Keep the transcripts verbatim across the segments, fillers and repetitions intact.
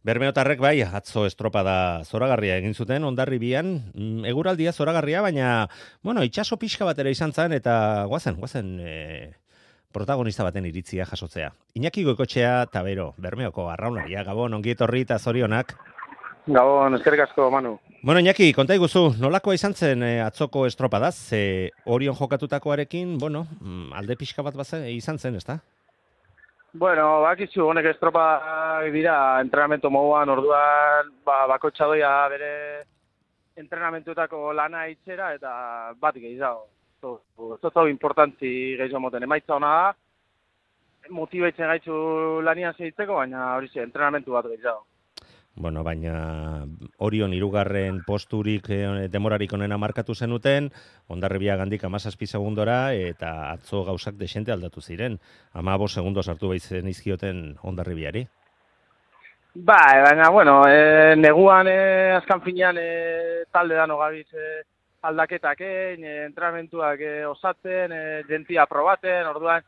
Bermeotarrek bai, atzo estropada zoragarria egin zuten Hondarribian, mm, eguraldia zoragarria, baina, bueno, itxaso pixka bat ere izan zen, eta guazen, guazen e, protagonista baten iritzia jasotzea. Iñaki Goikoetxea eta Bero, Bermeoko arraunaria, Gabon, ongi etorri eta zorionak. Gabon, eskerrik asko, Manu. Bueno, Iñaki, konta iguzu, nolakoa izan zen e, atzoko estropadaz, e, Orion jokatutakoarekin, bueno, mm, alde pixka bat bazen, izan zen, ezta? Bueno, bakizu, honek estropa dira entrenamentu moduan, orduan, ba, bakotxa doia bere entrenamentuetako lana itxera, eta bat gehiago. Ez dut importantzi gehiago moten, emaitza hona da, motibaitzen gaitzu lanian segitzeko, baina hori ze, entrenamentu bat gehiago. Bueno, baina Orion hirugarren posturik eh, demorarik onena markatu zenuten, Hondarribia gandik hamazazpi segundora, eta atzo gauzak desente aldatu ziren. hamabost segundos hartu baitzen izkioten Hondarribiari. Ba, baina, bueno, e, neguan e, azkan finean e, talde dano gabiz e, aldaketak egin, e, entrenamentuak e, osatzen, e, jentia probaten, orduan,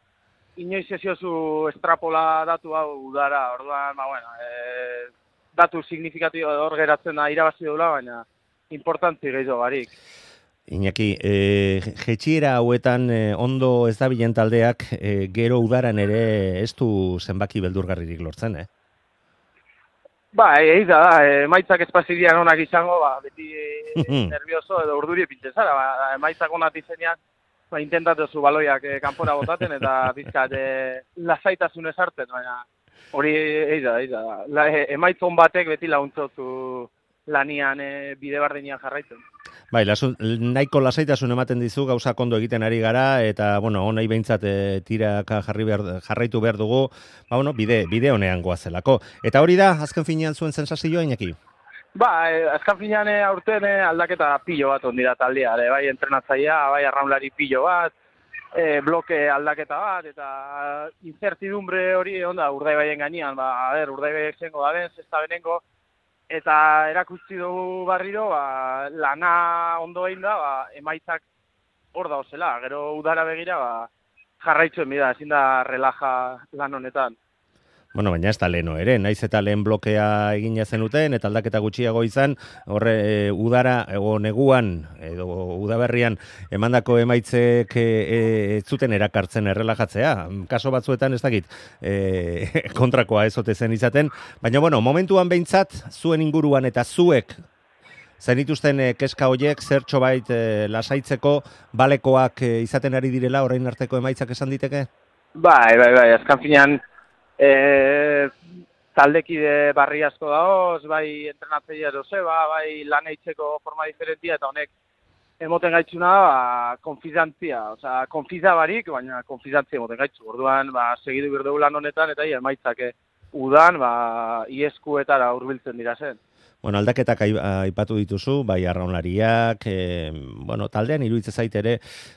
inoiz esiozu estrapola datu hau udara, orduan, ba, bueno, e, datu signifikatibo hor geratzen da irabazi dula, baina importantzi gehiago barik. Iñaki, e, jetxiera hauetan e, ondo ez dabilen taldeak e, gero udaran ere ez du zenbaki beldurgarririk lortzen, eh? Ba, egin da, e, emaitzak espazirian onak izango, ba, beti e, nervioso edo urduri pintxe zara, ba, emaitzak onak izenean, ba, intentatuzu baloiak e, kanpora botaten eta pizkat e, lasaitasunez hartzen, baina hori egin da, egin da. La, e, emaitzon batek beti launtzotu lanian e, bide bardenean jarraitzen. Bai, lasun, nahiko lasaitasun ematen dizu, gauza kondo egiten ari gara, eta, bueno, honai behintzat e, tiraka jarri behar, jarraitu behar dugu, ba, bueno, bide, bide honean goazelako. Eta hori da, azken finean zuen sensazioa, Iñaki? Ba, e, azken finean e, aurten e, aldaketa pilo bat ondira taldea, e, bai entrenatzailea, bai arraunlari pilo bat, e, bloke aldaketa bat, eta incertidumbre hori onda Urdaibaien gainean, ba, a ber, Urdaibaien zengo da ben, zesta benengo, eta erakutsi dugu barriro, ba, lana ondo egin da, ba, emaitzak hor da zela, gero udara begira, ba, jarraitzuen bida, ezin da relaja lan honetan. Bueno, baina ez da leheno ere, naiz eta lehen blokea egina zenuten, eta aldaketa gutxiago izan, horre e, udara, ego neguan, edo udaberrian, emandako emaitzek e, ez zuten erakartzen errelajatzea. Kaso batzuetan ez dakit e, kontrakoa ez ote zen izaten, baina bueno, momentuan behintzat, zuen inguruan eta zuek zenituzten e, keska hoiek zertxo bait e, lasaitzeko balekoak e, izaten ari direla, orain arteko emaitzak esan diteke? Bai, bai, bai, azkan finean, E, taldekide barri asko daoz, bai entrenatzailea Joseba, bai lan eitzeko forma diferentia, eta honek emoten gaitzuna da, ba, konfidantzia, osea, konfiza barik, baina konfidantzia emoten gaitzu. Orduan, ba, segidu berdugu lan honetan, eta ia, emaitzak udan, ba, ieskuetara hurbiltzen dira zen. Bueno, aldaketak aipatu dituzu, bai arraunlariak, e, bueno, taldean iruditzen zait ere,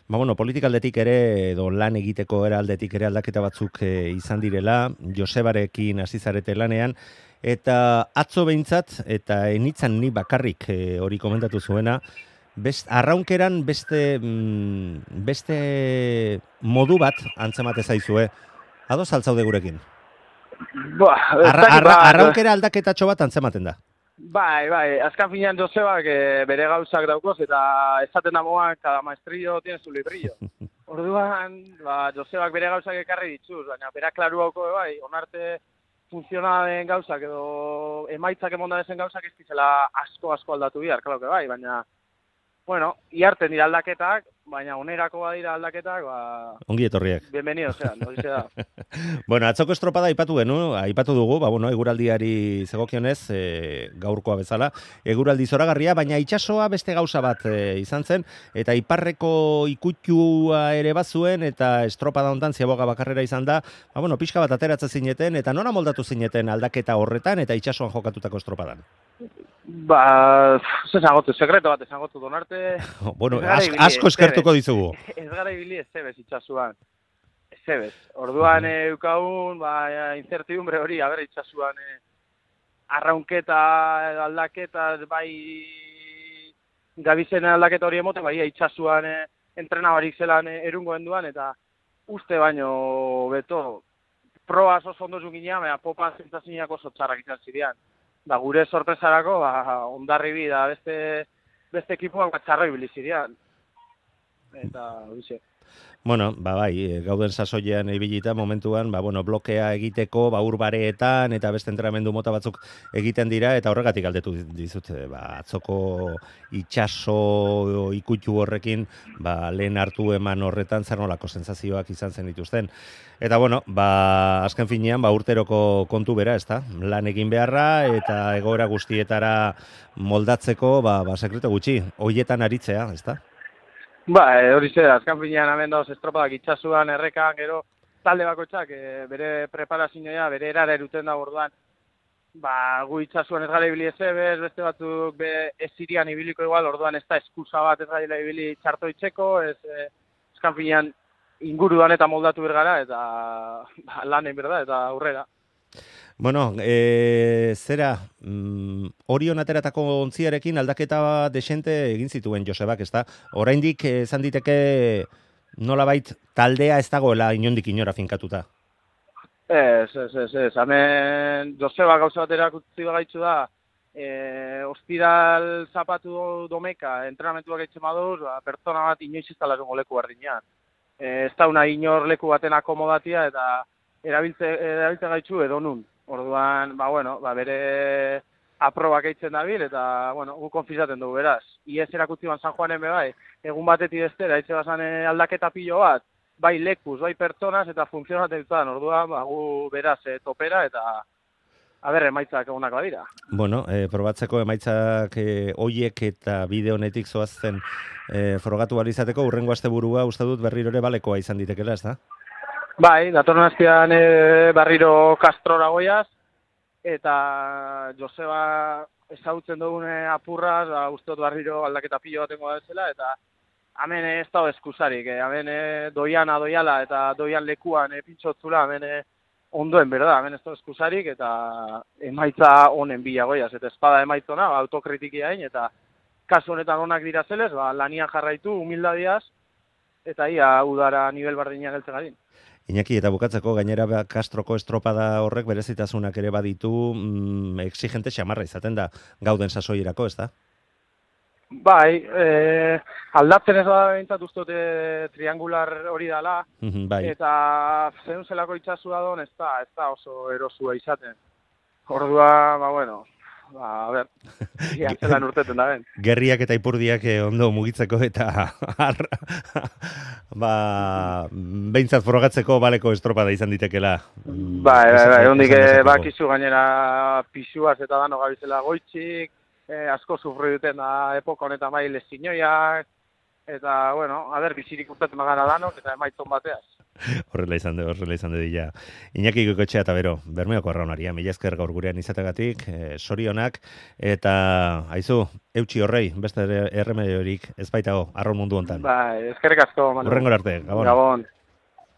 ba, bueno, politikaldetik ere, edo lan egiteko era aldetik ere aldaketa batzuk e, izan direla, Josebarekin hasi zarete lanean, eta atzo behintzat, eta enitzan ni bakarrik e, hori komentatu zuena, best, arraunkeran beste, mm, beste modu bat antzemate zaizue, ados altzaude gurekin? Ba, Arra, arra, arraunkera aldaketatxo bat antzematen da. Bai, bai, azkan finean Josebak e, bere gauzak daukoz, eta esaten da moan, cada maestrillo tiene su librillo. Orduan, ba, Josebak bere gauzak ekarri dituz, baina bera klaru hauko, bai, onarte funtzionalen gauzak edo emaitzak emonda dezen gauzak ez dizela asko-asko aldatu bihar, klauke bai, baina, bueno, iarten dira aldaketak, baina onerako badira aldaketak, ba... Ongi etorriak. Bienvenido, zean, hori da. Bueno, atzoko estropada aipatu genu, aipatu dugu, ba, bueno, eguraldiari zegokionez, e, gaurkoa bezala, eguraldi zoragarria, baina itsasoa beste gauza bat e, izan zen, eta iparreko ikutua ere bazuen, eta estropada hontan ziaboga bakarrera izan da, ba, bueno, pixka bat ateratzen zineten, eta nora moldatu zineten aldaketa horretan, eta itsasoan jokatutako estropadan? Ba, ez esangotu, sekreto bat esangotu donarte. Bueno, as, asko eskertuko dizugu. Ez gara ibili ez zebez itxasuan. Ez zebez. Orduan uh-huh. eukagun, ba, incertidumbre hori, a ber, itxasuan eh, arraunketa, aldaketa, bai, gabizen aldaketa hori emote, bai, itxasuan eh, entrenabarik zelan eh, erungoen duan, eta uste baino beto, proa oso ondo zuginean, baina popa zentzaziniak oso txarrak izan zirean. da gure sorpresarako, ba, Hondarribi da beste, beste ekipuak bat txarro ibili zirean. Eta, horixe. Bueno, ba bai, gauden sasoian ibilita momentuan, ba bueno, blokea egiteko, ba urbareetan eta beste entrenamendu mota batzuk egiten dira eta horregatik galdetu dizut, ba atzoko itsaso ikutu horrekin, ba lehen hartu eman horretan zer nolako sentsazioak izan zen dituzten. Eta bueno, ba azken finean ba urteroko kontu bera, ezta? Lan egin beharra eta egoera guztietara moldatzeko, ba ba sekretu gutxi, hoietan aritzea, ezta? Ba, hori zer, azkan finean hemen dauz estropadak itxasuan, errekan, gero, talde bakoitzak e, bere preparazioa, bere erara eruten da orduan. Ba, gu itxasuan ez gara ibili ezebez, beste batzuk be, ez irian ibiliko igual, orduan ez da eskusa bat ez gara ibili txarto itxeko, ez e, azkan finean inguruan eta moldatu bergara, eta ba, lan egin berda, eta aurrera. Bueno, e, zera, mm, Orion ateratako ontziarekin aldaketa desente egin zituen Josebak, ezta? Oraindik esan diteke nolabait taldea ez dagoela inondik inora finkatuta. Ez, ez, ez, ez. Hemen Josebak gauza bat erakutsi bagaitzu da, e, ospiral zapatu domeka, entrenamentuak etxe maduz, ba, pertsona bat inoiz ez talarungo leku bardinean. E, ez dauna inor leku baten akomodatia eta erabiltze, erabiltze gaitzu edo nun. Orduan, ba, bueno, ba, bere aprobak eitzen dabil, eta, bueno, gu konfizaten dugu, beraz. Iez erakutzi ban San Juanen be bai, egun batetik bestera, eitze bazan aldaketa pilo bat, bai lekuz, bai pertsonaz, eta funtzionatzen dituan, orduan, ba, gu beraz e, topera, eta, aber, emaitzak egunak badira. Bueno, e, probatzeko emaitzak e, oiek eta bide honetik zoazten e, frogatu balizateko, urrengo asteburua uste dut berriro ere balekoa izan ditekela, ez da? Bai, datorren astean e, barriro Castrora goiaz, eta Joseba ezagutzen dugune apurraz, ba, uste dut barriro aldaketa pilo batengo da zela, eta hemen ez dago eskusarik, eh? Hemen e, doiana doiala eta doian lekuan e, pintxotzula, hemen e, ondoen berda, hemen ez dago eskusarik, eta emaitza honen bila goiaz, eta espada emaitzona, ba, autokritikia hain, eta kasu honetan onak dira zelez, ba, lanian jarraitu, humildadiaz, eta ia udara nivel bardinean geltzen garin. Iñaki, eta bukatzeko gainera Castroko estropada horrek berezitasunak ere baditu, mm, exigente xamarra izaten da gauden sasoierako, ez da? Bai, e, aldatzen ez da behintzat ustote triangular hori dala, bai. Eta zen zelako itxasua don ez da, ez da oso erosua izaten. Ordua, ba bueno, ba, a ber, zelan urteten da ben. Gerriak eta ipurdiak ondo mugitzeko eta ba, behintzat frogatzeko baleko estropada izan ditekela. Bai, bai, bai, hondik bakizu gainera pisuaz eta dano gabizela goitxik, eh, asko sufri duten da epoka honetan bai lezinoiak, eta, bueno, a ber, bizirik urtetzen magana danok, eta emaitzon bateaz. Horrela izan de, horrela izan de dila. Iñaki Goikoetxea eta bero, Bermeoko arraunaria, mila esker gaur gurean izategatik, eh, sorionak, eta, haizu, eutxi horrei, beste erremediorik ez baitago, arraun mundu hontan. Bai, eskerrik asko, Manu. Hurrengor arte, Gabon. Gabon.